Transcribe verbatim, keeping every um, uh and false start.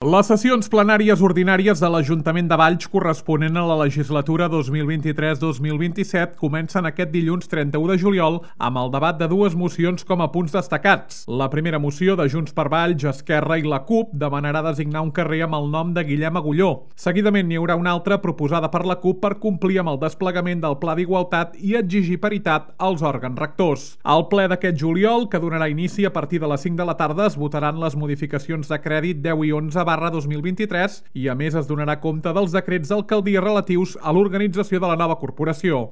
Les sessions plenàries ordinàries de l'Ajuntament de Valls corresponent a la legislatura dos mil vint-i-tres dos mil vint-i-set comencen aquest dilluns trenta-u de juliol amb el debat de dues mocions com a punts destacats. La primera moció de Junts per Valls, Esquerra i la CUP demanarà designar un carrer amb el nom de Guillem Agulló. Seguidament n'hi haurà una altra proposada per la CUP per complir amb el desplegament del Pla d'Igualtat i exigir paritat als òrgans rectors. Al ple d'aquest juliol, que donarà inici a partir de les cinc de la tarda, es votaran les modificacions de crèdit deu i onze barra dos mil vint-i-tres i a més es donarà compte dels decrets d'alcaldia relatius a l'organització de la nova corporació.